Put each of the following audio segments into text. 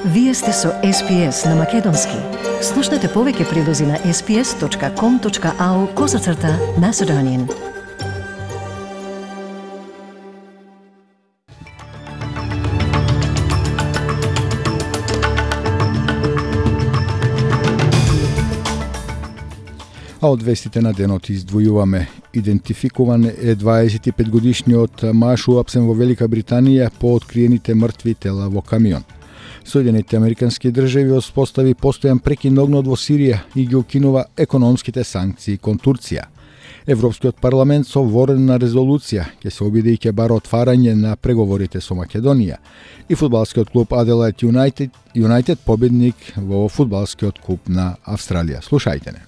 Вие сте со SPS на Македонски. Слушнете повеќе прилози на sps.com.au/Macedonian. А од вестите на денот издвојуваме. Идентификуван е 25-годишниот маж уапсен во Велика Британија по откриените мртви тела во камион. Соединените американски држави успостави постојан прекин огнот во Сирија и ги укинува економските санкции кон Турција. Европскиот парламент со ворена резолуција ќе се обиде и ќе бара отварање на преговорите со Македонија. И фудбалскиот клуб Adelaide United победник во фудбалскиот куп на Австралија. Слушајте не.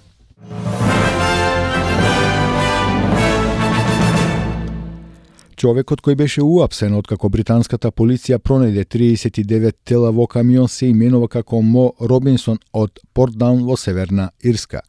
Човекот кој беше уапсен откако британската полиција пронајде 39 тела во камион се именува како Мо Робинсон од Портдаун во Северна Ирска.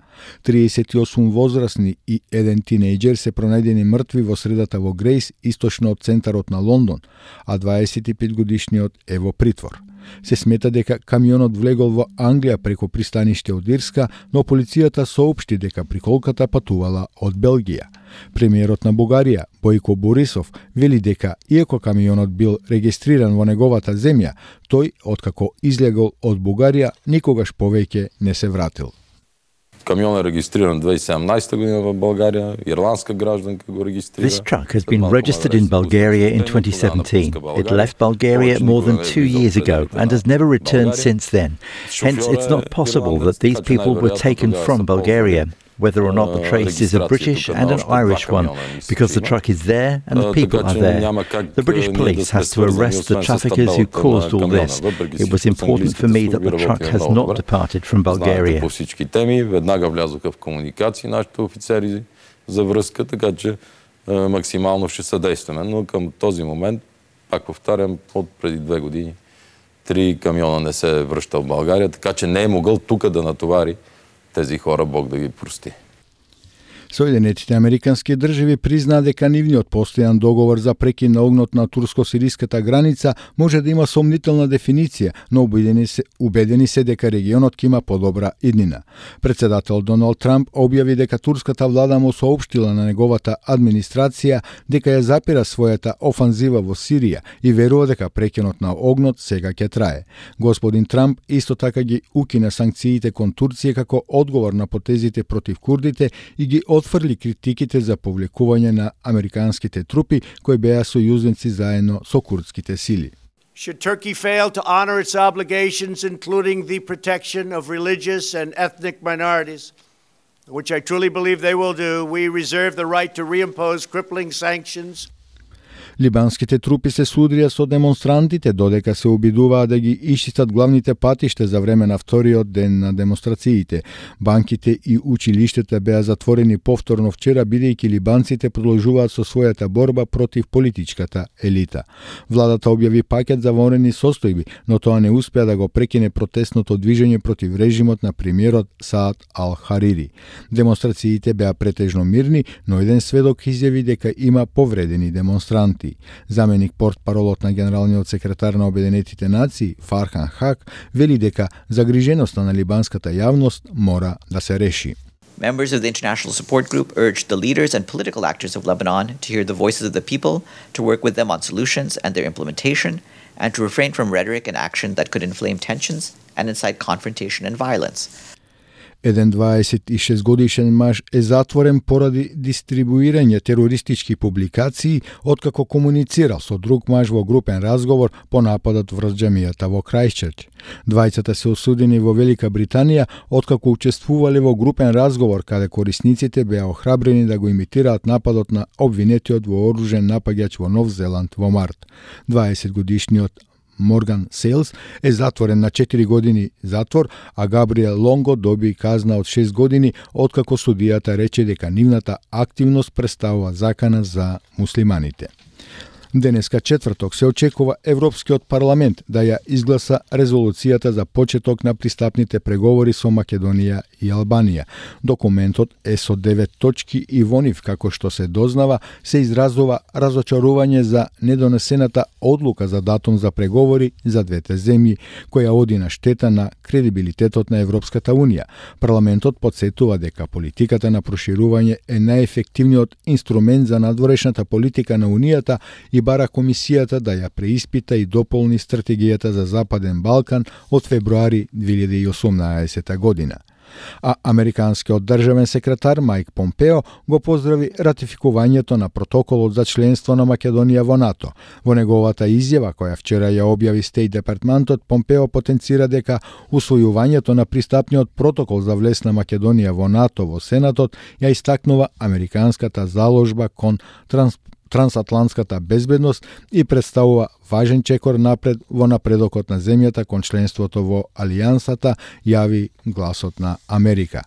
38 возрастни и еден тинејџер се пронајдени мртви во средата во Грейс, источно од центарот на Лондон, а 25-годишниот е во притвор. Се смета дека камионот влегол во Англија преку пристаниште од Ирска, но полицијата соопшти дека приколката патувала од Белгија. Премиерот на Бугарија, Бојко Борисов, вели дека иако камионот бил регистриран во неговата земја, тој, откако излегол од Бугарија, никогаш повеќе не се вратил. Камион е регистриран 2017 година во Българија, ирландска гражданка го регистрира. This truck has been registered in Bulgaria in 2017. It left Bulgaria more than 2 years ago and has never returned since then. Hence, it's not possible that these people were taken from Bulgaria, whether or not the trace is a British and an Irish one, because the truck is there and the people are there. The British police has to arrest the traffickers who caused all this. It was important for me that the truck has not departed from Bulgaria. По всички теми веднага влязоха в комуникации нашите офицери за връзка, така че максимално ще съдействаме. Но към този момент, пак повтарям, от преди 2 години 3 камиона не се връща в България, така че не е могъл тук да натовари тези хора, Бог да ги прости. Соединетите американски држави признаа дека нивниот постојан договор за прекин на огнот на турско-сириската граница може да има сомнителна дефиниција, но убедени се дека регионот ќе има подобра иднина. Председател Доналд Трамп објави дека турската влада му соопштила на неговата администрација дека ја запира својата офанзива во Сирија и верува дека прекинот на огнот сега ќе трае. Господин Трамп исто така ги укина санкциите кон Турција како одговор на потезите против курдите и ги отфрли критиките за повлекување на американските трупи кои беа сојузници заедно со курдските сили. Should Turkey fail to honor its obligations, including the protection of religious and ethnic minorities, which I truly believe they will do, we reserve the right to reimpose crippling sanctions. Либанските трупи се судрија со демонстрантите додека се обидуваа да ги исчистат главните патишта за време на вториот ден на демонстрациите. Банките и училиштата беа затворени повторно вчера, бидејќи либанците продолжуваат со својата борба против политичката елита. Владата објави пакет за военни состојби, но тоа не успеа да го прекине протестното движење против режимот на премиерот Саад Ал-Харири. Демонстрациите беа претежно мирни, но еден сведок изјави дека има повредени демонстранти. Заменик портпаролот на генералниот секретар на Обединетите нации, Фархан Хак, вели дека загриженоста на либанската јавност мора да се реши. Members of the International Support Group urged the leaders and political actors of Lebanon to hear the voices of the people, to work with them on solutions and their implementation, and to refrain from rhetoric and action that could inflame tensions and incite confrontation and violence. Еден 26 годишен маж е затворен поради дистрибуирање терористички публикации откако комуницирал со друг маж во групен разговор по нападот врз џамијата во Крајстчерч. Двајцата се осудени во Велика Британија откако учествувале во групен разговор каде корисниците беа охрабрени да го имитираат нападот на обвинетиот вооружен напаѓач во Нов Зеланд во март. 20 годишниот Морган Сейлс е затворен на 4 години затвор, а Габриел Лонго доби казна од 6 години, откако судијата рече дека нивната активност представува закана за муслиманите. Денеска четврток се очекува Европскиот парламент да ја изгласа резолуцијата за почеток на пристапните преговори со Македонија и Албанија. Документот е со 9 точки и во нив, како што се дознава, се изразува разочарување за недонесената одлука за датум за преговори за двете земји, која оди на штета на кредибилитетот на Европската Унија. Парламентот потсетува дека политиката на проширување е најефективниот инструмент за надворешната политика на Унијата и бара комисијата да ја преиспита и дополни стратегијата за Западен Балкан од февруари 2018 година. А американскиот државен секретар Мајк Помпео го поздрави ратификувањето на протоколот за членство на Македонија во НАТО. Во неговата изјава, која вчера ја објави Стејт департментот, Помпео потенцира дека усвојувањето на пристапниот протокол за влез на Македонија во НАТО во Сенатот ја истакнува американската заложба кон трансатлантската безбедност и представува важен чекор напред во напредокот на земјата кон членството во Алијансата, јави Гласот на Америка.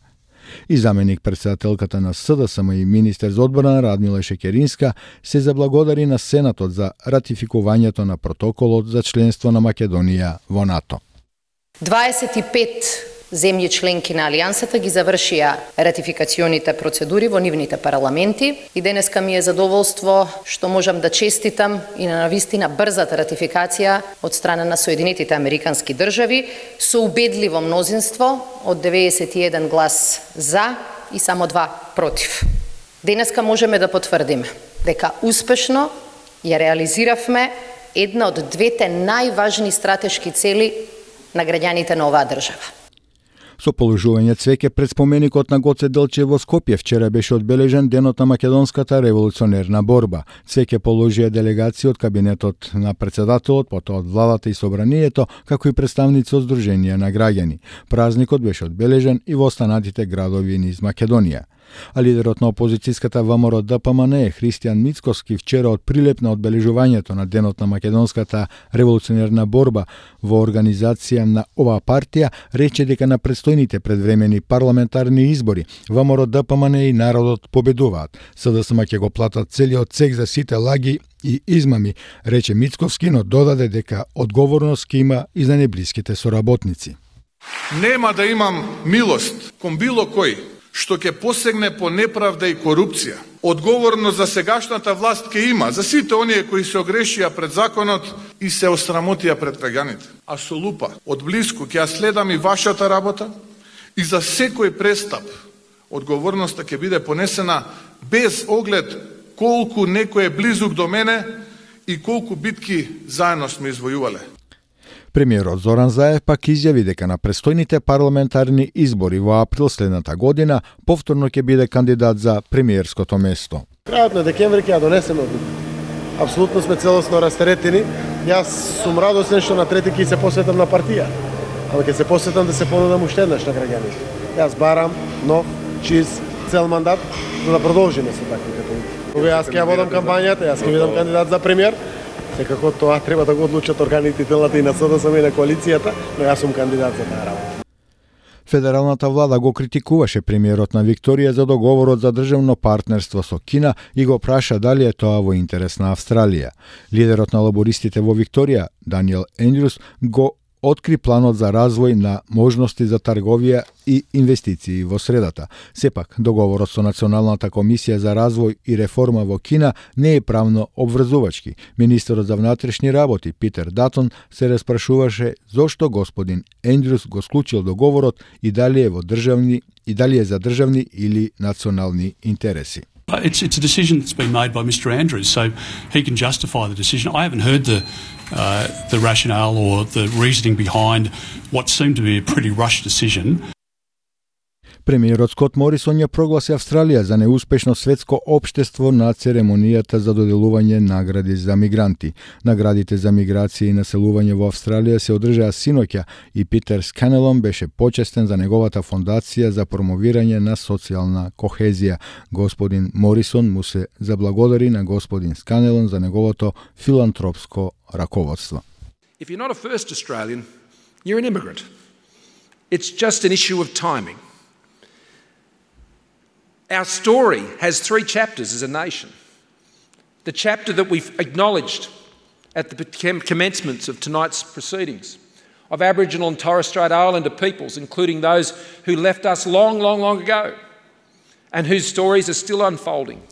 И заменик председателката на СДСМ и министер за одбрана Радмила Шекеринска се заблагодари на Сенатот за ратификувањето на протоколот за членство на Македонија во НАТО. 25 земји членки на Алијансата ги завршија ратификационите процедури во нивните парламенти и денеска ми е задоволство што можам да честитам и на навистина брзата ратификација од страна на Соединетите Американски држави со убедливо мнозинство од 91 глас за и само 2 против. Денеска можеме да потврдиме дека успешно ја реализиравме една од двете најважни стратешки цели на граѓаните на оваа држава. Со положување цвеќе пред споменикот на Гоце Делчев во Скопје вчера беше одбележен денот на македонската револуционерна борба. Цвеќе положија делегација од кабинетот на председателот, потоа од владата и собранието, како и представници од Сдруженија на граѓани. Празникот беше одбележен и во останатите градови низ Македонија. А лидерот на опозицијската ВМРО ДПМН Христијан Мицковски вчера од прилеп на одбележувањето на денот на македонската револуционерна борба во организација на оваа партија рече дека на предстојните предвремени парламентарни избори ВМРО ДПМН и народот победуваат. СДСМ ќе го платат целиот цех за сите лаги и измами, рече Мицковски, но додаде дека одговорност ќе има и за неблиските соработници. Нема да имам милост кон било кој што ќе посегне по неправда и корупција. Одговорност за сегашната власт ќе има за сите оние кои се огрешија пред законот и се осрамотија пред граѓаните. А со лупа од блиску ќе ја следам и вашата работа и за секој престап одговорноста ќе биде понесена без оглед колку некој е близук до мене и колку битки заедно сме извојувале. Премиерот Зоран Заев пак изјави дека на престојните парламентарни избори во април следната година повторно ќе биде кандидат за премиерското место. Крајот на декември ќе ја донесеме одлука. Апсолутно сме целосно растеретени. Јас сум радосен што на трети ќе се посветам на партија. Ама ќе се посветам да се понудам уште еднаш на граѓаните. Јас барам нов, чист, цел мандат за да продолжиме со таквите политики. Кога јас ќе ја водам кампањата, јас ќе бидам кандидат за премиер. Секако тоа треба да го одлучат органите и телата и на СДСМ и на коалицијата, но јас сум кандидат за таа работа. Федералната влада го критикуваше премиерот на Викторија за договорот за државно партнерство со Кина и го праша дали е тоа во интерес на Австралија. Лидерот на лабористите во Викторија, Даниел Ендрюс, го откри планот за развој на можности за трговија и инвестиции во средата. Сепак, договорот со Националната комисија за развој и реформа во Кина не е правно обврзувачки. Министерот за внатрешни работи Питер Датон се распрашуваше зошто господин Ендрюс го склучил договорот и дали е за државни или национални интереси. It's a decision that's been made by Mr. Andrews, so he can justify the decision. I haven't heard the rationale or the reasoning behind what seemed to be a pretty rushed decision. Премиерот Скот Морисон ја прогласи Австралија за неуспешно светско општество на церемонијата за доделување награди за мигранти. Наградите за миграција и населување во Австралија се одржаа синоќа и Питер Сканелон беше почестен за неговата фондација за промовирање на социјална кохезија. Господин Морисон му се заблагодари на господин Сканелон за неговото филантропско раководство. If you're not a first Australian, you're an immigrant. It's just an issue of timing. Our story has 3 chapters as a nation. the chapter that we've acknowledged at the commencement of tonight's proceedings, of Aboriginal and Torres Strait Islander peoples, including those who left us long, long, long ago, and whose stories are still unfolding.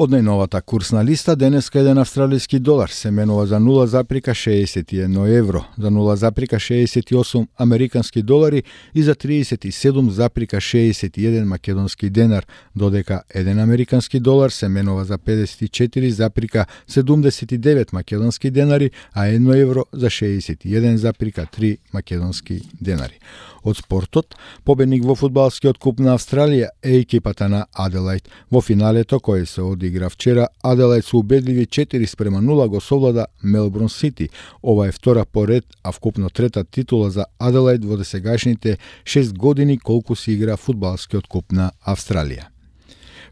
Од најновата курсна листа, денеска еден австралиски долар се менува за 0,61 евро, за 0,68 американски долари и за 37,61 македонски денар, додека еден американски долар се менува за 54,79 македонски денари, а 1 евро за 61,3 македонски денари. Од спортот, победник во фудбалскиот куп на Австралија е екипата на Аделајд. Во финалето кој се одигра вчера, Аделајд со убедливи 4-0 го совлада Мелбурн Сити. Ова е втора поред, а вкупно трета титула за Аделајд во досегашните 6 години колку се игра фудбалскиот куп на Австралија.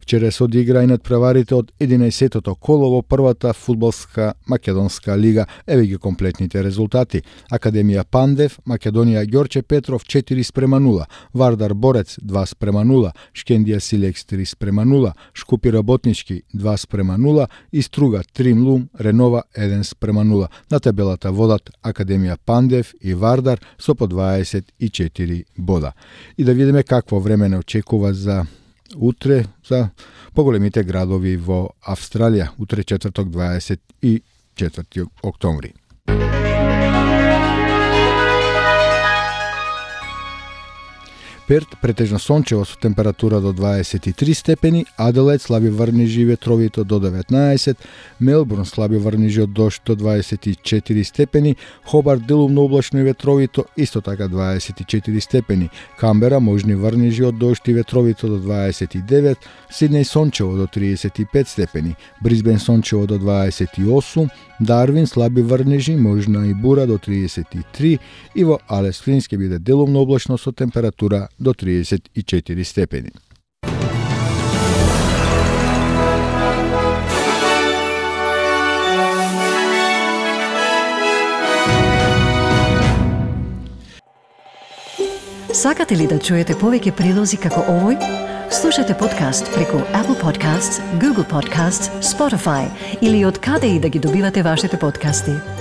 Вчера се одигра и надпреварите од 11-тото коло во првата фудбалска македонска лига. Еве ги комплетните резултати. Академија Пандев, Македонија Ѓорче Петров 4-0, Вардар Борец 2-0, Шкендија Силекс 3-0, Шкупи Работнички 2-0 и Струга 3-0, Ренова 1-0. На табелата водат Академија Пандев и Вардар со по 24 бода. И да видиме какво време не очекува за утре за поголемите градови во Австралија, утре четврток 24 октомври. Перт претежно сончево со температура до 23 степени, Аделајд слаби врнежи и ветровито до 19, Мелбурн слаби врнежи од дожд до 24 степени, Хобарт делумно облачно и ветровито, исто така 24 степени, Камбера можни врнежи од дожд и ветровито до 29, Сиднеј сончево до 35 степени, Брисбен сончево до 28, Дарвин слаби врнежи, можна и бура до 33 и во Алес Флинс ќе биде делумно облачно со температура до 34 степени. Сакате ли да чуете повеќе прилози како овој? Слушате подкаст преку Apple Podcasts, Google Podcasts, Spotify или од каде и да ги добивате вашите подкасти.